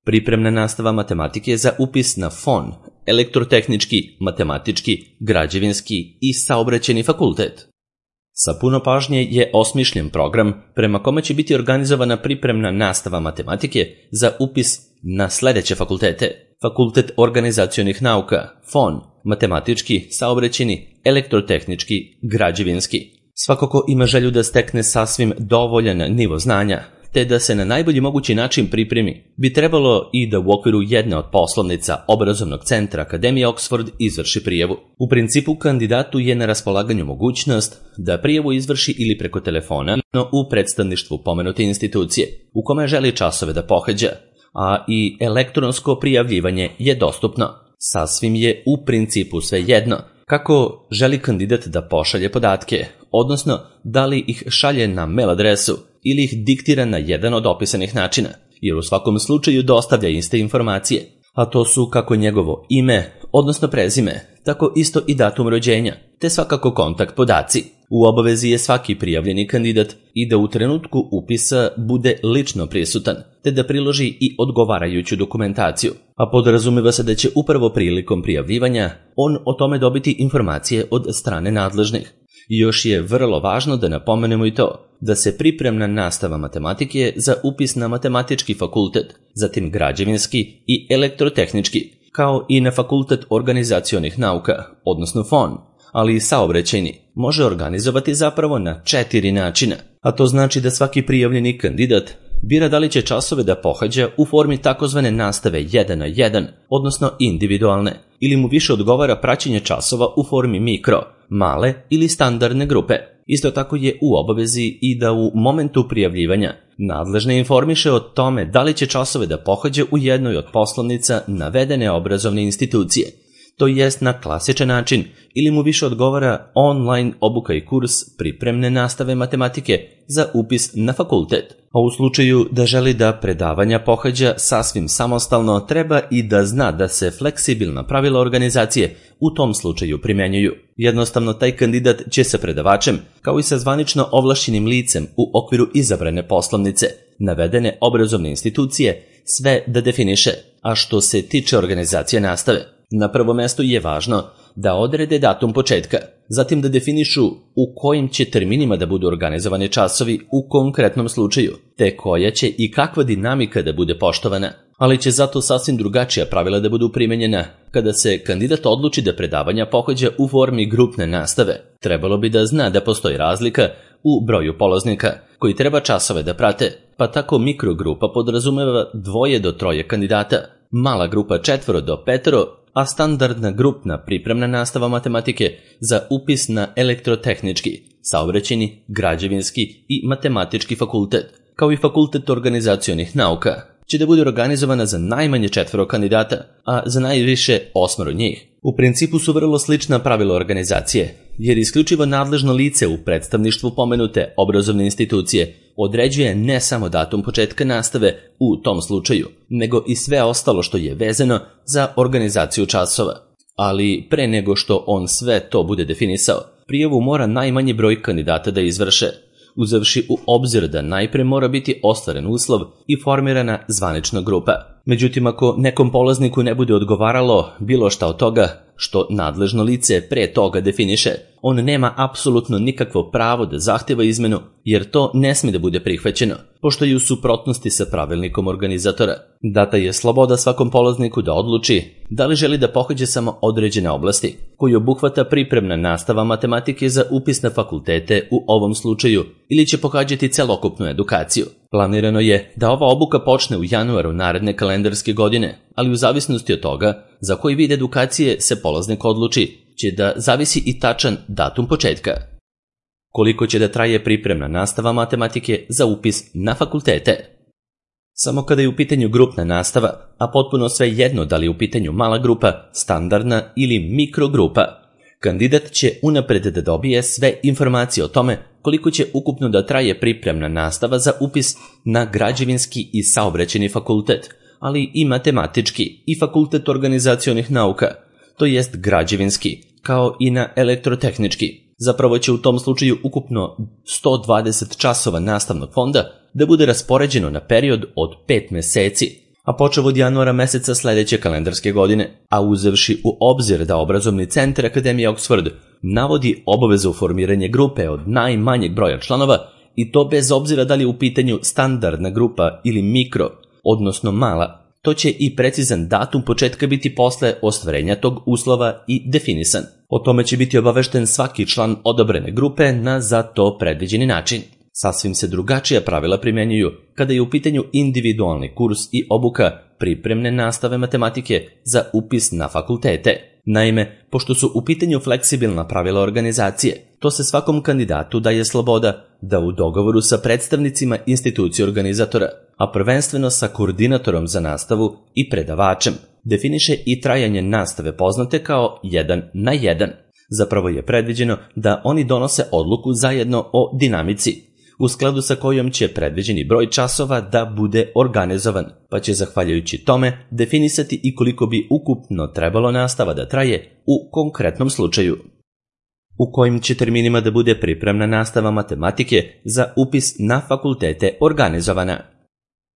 Pripremna nastava matematike za upis na FON, elektrotehnički, matematički, građevinski i saobraćajni fakultet. Sa puno pažnje je osmišljen program prema kome će biti organizovana pripremna nastava matematike za upis na sledeće fakultete: Fakultet organizacionih nauka, FON, matematički, saobraćajni, elektrotehnički, građevinski. Svako ko ima želju da stekne sasvim dovoljan nivo znanja, te da se na najbolji mogući način pripremi, bi trebalo i da u okviru jedne od poslovnica obrazovnog centra Akademije Oxford izvrši prijavu. U principu, kandidatu je na raspolaganju mogućnost da prijavu izvrši ili preko telefona, no u predstavništvu pomenute institucije u kome želi časove da pohađa, a i elektronsko prijavljivanje je dostupno. Sasvim je u principu svejedno kako želi kandidat da pošalje podatke, odnosno da li ih šalje na mail adresu ili ih diktira na jedan od opisanih načina, jer u svakom slučaju dostavlja iste informacije, a to su kako njegovo ime, odnosno prezime, tako isto i datum rođenja, te svakako kontakt podaci. U obavezi je svaki prijavljeni kandidat i da u trenutku upisa bude lično prisutan, te da priloži i odgovarajuću dokumentaciju, a podrazumeva se da će upravo prilikom prijavljivanja on o tome dobiti informacije od strane nadležnih. Još je vrlo važno da napomenemo i to da se pripremna nastava matematike za upis na matematički fakultet, zatim građevinski i elektrotehnički, kao i na fakultet organizacionih nauka, odnosno FON, ali i saobraćajni, može organizovati zapravo na 4 načina, a to znači da svaki prijavljeni kandidat bira da li će časove da pohađa u formi takozvane nastave 1 na 1, odnosno individualne, ili mu više odgovara praćenje časova u formi mikro, male ili standardne grupe. Isto tako je u obavezi i da u momentu prijavljivanja nadležne informiše o tome da li će časove da pohađa u jednoj od poslovnica navedene obrazovne institucije, to jest na klasičan način, ili mu više odgovara online obuka i kurs pripremne nastave matematike za upis na fakultet. A u slučaju da želi da predavanja pohađa sasvim samostalno, treba i da zna da se fleksibilna pravila organizacije u tom slučaju primenjuju. Jednostavno, taj kandidat će sa predavačem, kao i sa zvanično ovlašćenim licem u okviru izabrane poslovnice navedene obrazovne institucije, sve da definiše. A što se tiče organizacije nastave, na prvom mestu je važno da odrede datum početka, zatim da definišu u kojim će terminima da budu organizovani časovi u konkretnom slučaju, te koja će i kakva dinamika da bude poštovana, ali će zato sasvim drugačija pravila da budu primenjena kada se kandidat odluči da predavanja pohađa u formi grupne nastave. Trebalo bi da zna da postoji razlika u broju polaznika koji treba časove da prate, pa tako mikrogrupa podrazumeva 2 do 3 kandidata, mala grupa 4 do 5, a standardna grupna pripremna nastava matematike za upis na elektrotehnički, saobraćajni, građevinski i matematički fakultet, kao i fakultet organizacionih nauka, će da bude organizovana za najmanje 4 kandidata, a za najviše 8 njih. U principu su vrlo slična pravila organizacije, jer isključivo nadležno lice u predstavništvu pomenute obrazovne institucije određuje ne samo datum početka nastave u tom slučaju, nego i sve ostalo što je vezano za organizaciju časova. Ali pre nego što on sve to bude definisao, prijavu mora najmanji broj kandidata da izvrše, uzevši u obzir da najpre mora biti ostvaren uslov i formirana zvanična grupa. Međutim, ako nekom polazniku ne bude odgovaralo bilo šta od toga što nadležno lice pre toga definiše, on nema apsolutno nikakvo pravo da zahteva izmenu, jer to ne sme da bude prihvaćeno, pošto je u suprotnosti sa pravilnikom organizatora. Data je sloboda svakom polazniku da odluči da li želi da pohađa samo određene oblasti, koji obuhvata pripremna nastava matematike za upis na fakultete u ovom slučaju, ili će pohađati celokupnu edukaciju. Planirano je da ova obuka počne u januaru naredne kalendarske godine, ali u zavisnosti od toga za koji vid edukacije se polaznik odluči, će da zavisi i tačan datum početka. Koliko će da traje pripremna nastava matematike za upis na fakultete? Samo kada je u pitanju grupna nastava, a potpuno sve jedno da li je u pitanju mala grupa, standardna ili mikrogrupa, kandidat će unapred da dobije sve informacije o tome koliko će ukupno da traje pripremna nastava za upis na građevinski i saobraćajni fakultet, ali i matematički i fakultet organizacionih nauka, to jest građevinski, kao i na elektrotehnički. Zapravo će u tom slučaju ukupno 120 časova nastavnog fonda da bude raspoređeno na period od 5 meseci, a počev od januara meseca sledeće kalendarske godine, a uzevši u obzir da obrazovni centar Akademije Oxford navodi obavezu formiranje grupe od najmanjeg broja članova, i to bez obzira da li je u pitanju standardna grupa ili mikro, odnosno mala, to će i precizan datum početka biti posle ostvarenja tog uslova i definisan. O tome će biti obavešten svaki član odabrane grupe na za to predviđeni način. Sasvim se drugačija pravila primjenjuju kada je u pitanju individualni kurs i obuka pripremne nastave matematike za upis na fakultete. Naime, pošto su u pitanju fleksibilna pravila organizacije, to se svakom kandidatu daje sloboda da u dogovoru sa predstavnicima institucije organizatora, a prvenstveno sa koordinatorom za nastavu i predavačem, definiše i trajanje nastave poznate kao 1 na 1. Zapravo je predviđeno da oni donose odluku zajedno o dinamici, u skladu sa kojom će predviđeni broj časova da bude organizovan, pa će zahvaljujući tome definisati i koliko bi ukupno trebalo nastava da traje u konkretnom slučaju. U kojim će terminima da bude pripremna nastava matematike za upis na fakultete organizovana.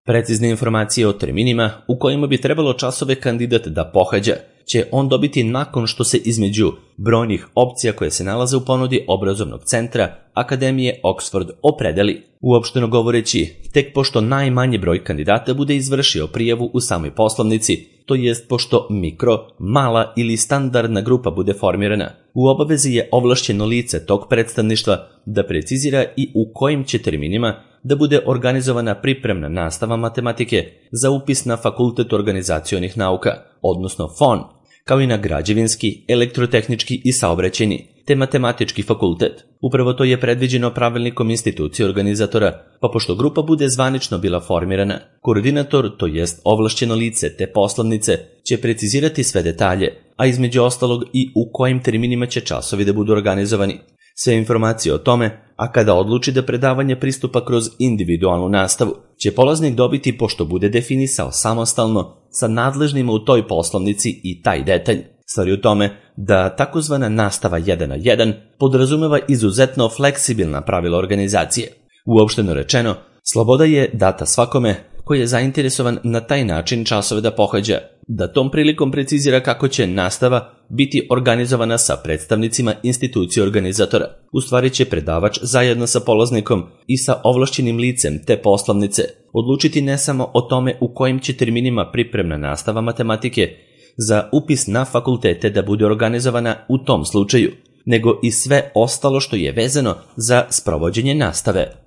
Precizne informacije o terminima u kojima bi trebalo časove kandidat da pohađa će on dobiti nakon što se između brojnih opcija koje se nalaze u ponudi obrazovnog centra Akademije Oxford opredeli. Uopšteno govoreći, tek pošto najmanji broj kandidata bude izvršio prijavu u samoj poslovnici, to jest pošto mikro, mala ili standardna grupa bude formirana, u obavezi je ovlašćeno lice tog predstavništva da precizira i u kojim će terminima da bude organizovana pripremna nastava matematike za upis na Fakultet organizacionih nauka, odnosno FON, kao i na građevinski, elektrotehnički i saobraćajni, te matematički fakultet. Upravo to je predviđeno pravilnikom institucije organizatora, pa pošto grupa bude zvanično bila formirana, koordinator, to jest ovlašćeno lice te poslovnice, će precizirati sve detalje, a između ostalog i u kojim terminima će časovi da budu organizovani. Sve informacije o tome, a kada odluči da predavanje pristupa kroz individualnu nastavu, će polaznik dobiti pošto bude definisao samostalno sa nadležnima u toj poslovnici i taj detalj. Stvar je u tome da takozvana nastava 1 na 1 podrazumeva izuzetno fleksibilna pravila organizacije. Uopšteno rečeno, sloboda je data svakome koji je zainteresovan na taj način časove da pohađa, da tom prilikom precizira kako će nastava biti organizovana sa predstavnicima institucije organizatora. U stvari će predavač zajedno sa polaznikom i sa ovlašćenim licem te poslovnice odlučiti ne samo o tome u kojim će terminima pripremna nastava matematike za upis na fakultete da bude organizovana u tom slučaju, nego i sve ostalo što je vezano za sprovođenje nastave.